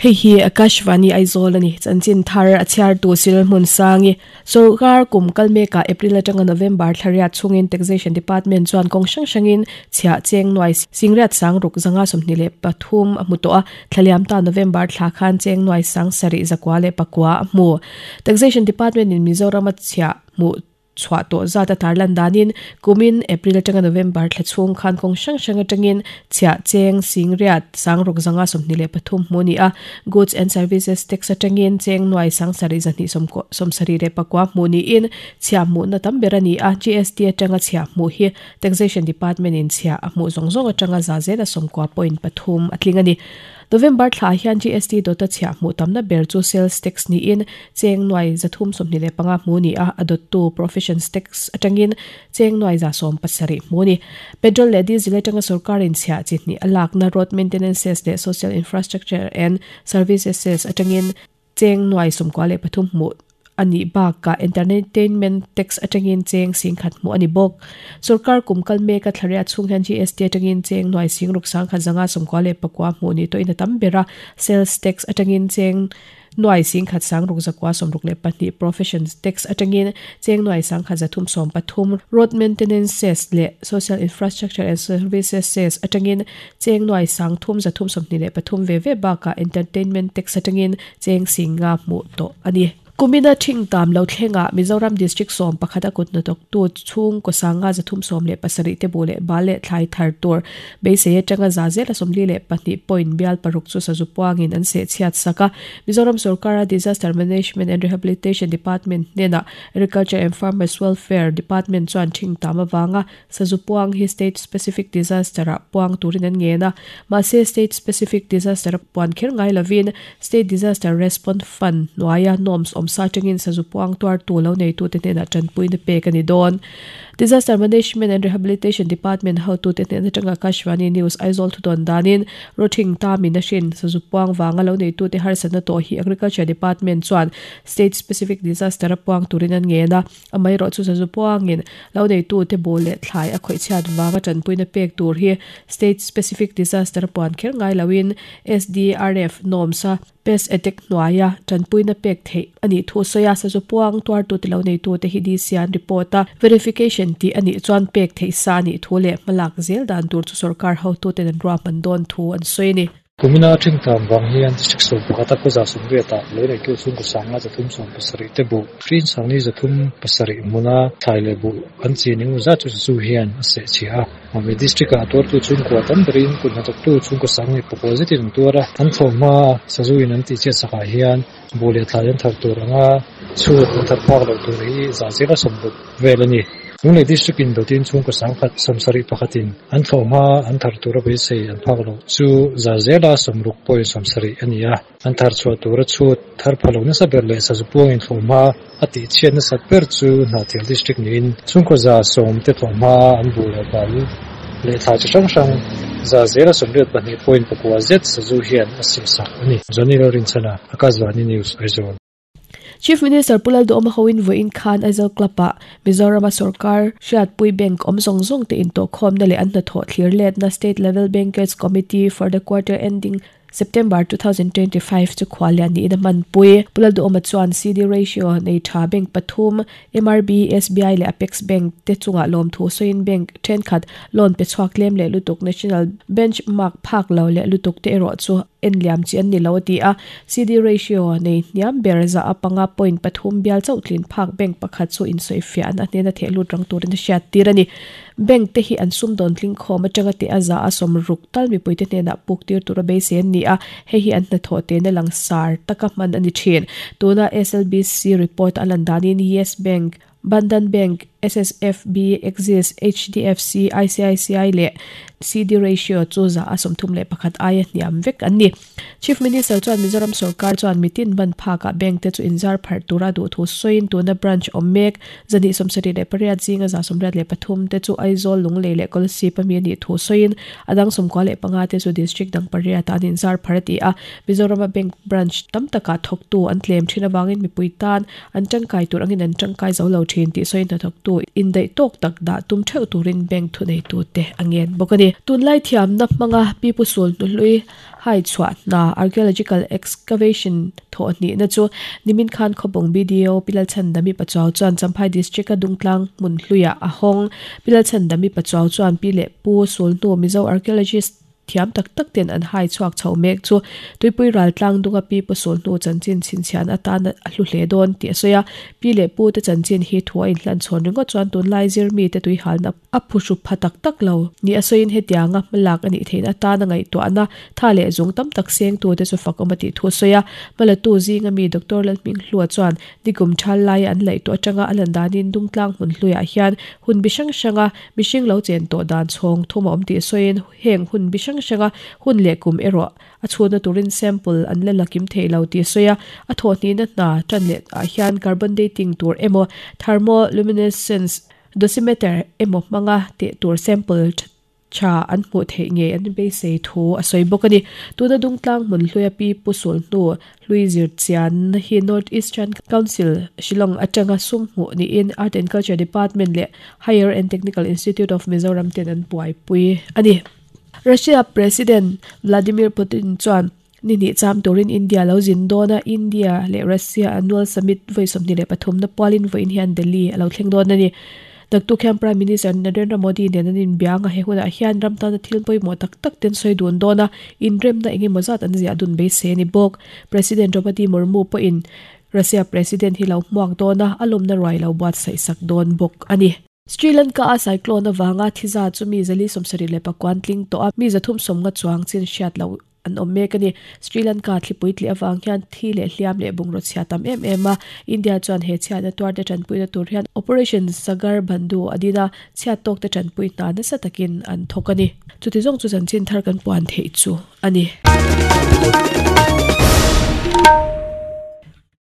Hei hi Akashvani Aizawl a ni. Chanchin thar a chhiartu Cyril Hmunsangi. Sorkar kum kal mekah April atanga November thla riat chhungin Taxation Department chuan kawng hrang hrangin chhiah cheng nuai singriat sang ruk zanga 23 a hmu tawh a, thla liam ta November thla khan cheng nuai sang sarih zakua leh pakua a hmu. Taxation Department in Mizoram a chhiah hmuh chhuah tawh zat a tarlan danin kumin April atanga November thla chhung khan kawng hrang hrang atangin chhiah cheng singriat sang ruk zanga 23 hmu a ni a, Goods and Services Tax atangin cheng nuai sang sarih zahnih sawmsarih leh pakua hmuh niin chhiah hmuhna tam ber a ni a, GST atanga chhiah hmuh hi Taxation Department in chhiah a hmuh zawng zawng atanga za zela 90.3 a tling a ni. November thla hian GST dawta chhiah hmuh tamna ber chu Sales Tax niin cheng nuai 325 hmuh ni a, a dawttu Professions Tax atangin cheng nuai 170 hmuh a ni. Petrol leh Diesel atanga sorkarin chhiah chi hnih a lakna Road Maintenance Cess leh Social Infrastructure and Services Cess atangin cheng nuai 93 hmuh a nih bakah Entertainment Tax atangin cheng 10,000 hmuh a ni bawk. Sorkar kum kal meka thlariat chhung hian GST atangin cheng nuai 6 sangkhat zanga 99 hmuh ni tawhin a tam ber a, Sales Tax atangin cheng nuai 10,000 sang ruk zakua 62, Professions Tax atangin cheng nuai 10,313, Road Maintenance Cess leh Social Infrastructure and Services Cess atangin cheng nuai 3,323 ve ve bakah Entertainment Tax atangin cheng 5 hmuh tawh a ni. Kumina thing tam lo thlengah Mizoram District 11 a kut hnathawktu chhung kaw sanga 317 te bu leh bal leh thlai thar tur beisei atanga za zela 42 point bial paruk chu sazu puangin an seh chhiat sak a. Mizoram sorkara Disaster Management and Rehabilitation Department hnenah Agriculture and Farmers Welfare Department chuan thing tam avanga sazu puang hi State Specific Disaster ah puang turin an ngen a. Mahse State Specific Disaster a puan kher ngai lovin State Disaster Response Fund hnuaia norms awmsa atangin sazu puang tuartu lo neitute hnenah tanpuina pek a ni dawn. Disaster Management and Rehabilitation Department hotute hnen atanga Akashvani News Aizawl thudawn danin Rawthing tamin a hrin sazu puang vanga lo neitute harsatna tawh hi Agriculture Department chuan State Specific Disaster a puang turin an ngen a, amaherawh chu sazu puangin lo neitute bu leh thlai a khawih chhiat vanga tanpuina pek tur hi State Specific Disaster a puan kher ngai loin SDRF norms a Pest attack hnuaia tanpuina pek theih a nih thu sawi a, sazu puang tuartu ti lo neitute hi DC an report a, verification tih a nih chuan pek theih sa a nih thu leh hmalak zel dan tur chu sorkar hotuten an ruahman dawn thu an sawi a ni. Kumina thingtlang vang hian district 11 a khawza 80 ah lo neitu chhungkaw sanga 370 te buh hrin sangni 307 hmuna thlai leh buh an chin engemaw zat chu sazu hian a seh chhia a. Mami district ah tuartu chhungkua tam berin kut hnathawktu chhungkaw sang leh pakua zetin an tuar a, an thlawhhma sazu in an tihchhiat sakah hian buh leh thlai an thar tur anga chhut an thar phak loh tur hi zah zela 60 vel a ni. Lunglei district in dawtin chhungkaw sangkhat 71 in an thlawhhma an thar tura beisei an phak loh chu zah zela 60 point 70 a ni a. An thar chhuah tura chhut thar pha lo nasa ber leh sazu puangin thlawhhma a tihchhiat nasat ber chu Hnahthial District niin chhungkaw 100 te thlawhhma an buh leh bal leh thlai chi hrang hrang za zela 82 point pakua zet sazu hian a sehsak a ni. Johnny Lalrinchhana, Akashvani News, Aizawl. Chief Minister Pu Lalduhawma hoin vawiin khan Aizawl Club-ah Mizorama sorkar hriatpui bank awm zawng zawng te intawhkhawmna leh an hnathawh thlir letna State Level Bankers Committee for the Quarter Ending September 2025 chu khuallian niin a hmanpui. Pu Lalduhawma chuan CD ratio nei tha bank pathum MRB, SBI leh Apex Bank te chungah lawmthu sawiin bank thenkhat loan pe chhuak tlem leh lutuk national benchmark phak lo leh lutuk te erawh chu en liam chi an ni lo a ti a. CD ratio nei hniam ber za a panga point pathum bial chauh tlin phak bank pakhat chu insawifiah an a hnena theh lut rang turin a hriat tir a ni. Bank te hi an sumdawn tling khawm atanga teh a za a 60 tal mipuite hnenah puk tir tura beisei an ni a, hei hi an hnathawh tehna langsar taka hman a ni thin. Tuna SLBC report a lan danin Yes Bank, Bandhan Bank, SSFB, Axis, HDFC, ICICI leh CD ratio chu za a 31 aia hniam vek an ni. Chief Minister chuan Mizoram sorkar chuan mitin ban phakah bank te chu inzar pharh tura duh thu sawiin tuna branch awm mek 178 zinga 83 te chu Aizawl, Lunglei leh Kolasib ami a nih thu sawiin a dang 95 te chu district dang pariatah an inzar pharh a ti a. Mizorama bank branch tam takah thawktu an tlem thin avangin mipui tan an tangkai tur angin an tangkai zo lo thin tih sawiin hnathawktu indaih tawk tak dah tum theuh turin bank thuneitute a ngen bawk a ni. Tunlai thiamna hmanga Pipu Sul hnuhlui hai chhuah hna Archaeological Excavation thawh hnihna chu nimin khan Khawbung BDO Pi Lalchhandami Pachuau chuan Champhai District-a Dungtlang hmun hluiah a hawng. Pi Lalchhandami Pachuau chuan Pi leh Pu Sul hnu Mizo Archaeologist thiam tak tak ten an hai chhuak chho mek chu tuipui ral tlang dunga pi pu sul hnu chanchin chhinchhian atan a hlu hle dawn tih a sawi a. Pi leh pu te chanchin hi thu a inhlan chhawn ringawt chuan tunlai zirmi te tuihalna a phuhru pha tak tak lo ni a sawiin hetianga hmalak a nih theihna atana ngaihtuahna tha leh zung tam tak sengtu te chu fak awm a tih thu a sawi a. Hmalatu zinga mi Doctor Lalhminghlua chuan Nikum thal laia an laih tawh atanga a lan danin Dungtlang hmun hluiah hian hun bi hrang hranga mihring lo chen tawh dan chhawng thum a awm tih sawiin heng hun bi hrang hranga hun leh kum erawh a chhunna turin sample an la la kim thei lo tih sawi a. A thawhhnihna hna tan leh ah hian carbon dating tur emaw thermoluminescence dosimeter emaw hmanga teh tur sample tha an hmuh theih ngei an beisei thu a sawi bawk a ni. Tuna Dungtlang hmun hluia Pi Pu Sul hnu hlui zir chian hi North Eastern Council, Shillong atanga sum hmuh niin Art and Culture Department leh Higher and Technical Institute of Mizoram ten an buaipui a ni. Russia President Vladimir Putin chuan ni hnih cham turin India lo zin dawn a, India leh Russia annual summit vawi 23 na pualin vawiin hian Delhi a lo thleng dawn a ni. Naktuk hian Prime Minister Narendra Modi nen an inbiang a, he hunah hian ram tana thil pawimawh tak tak ten sawi dun dawn a, inremna eng emaw zat an ziah dun beisei a ni bawk. President Draupadi Murmu pawhin Russia President hi lo hmuak dawn a, a lawmna ruai lo buatsaih sak dawn bawk a ni. Sri Lanka-a cyclone avanga thiza chu mi 474 tling tawh a, mi 350 chuang chin hriat loh an awm mek a ni. Sri Lanka thlipui tlih avang hian thi leh hliam leh bungraw chhia tam em em a, India chuan he chhiatna tuarte tanpuina tur hian Operation Sagar Bandhu a din a, chhiat tawkte tanpui hna nasa takin an thawk a ni. Chuti zawng chu chanchin thar kan puan theih chu a ni.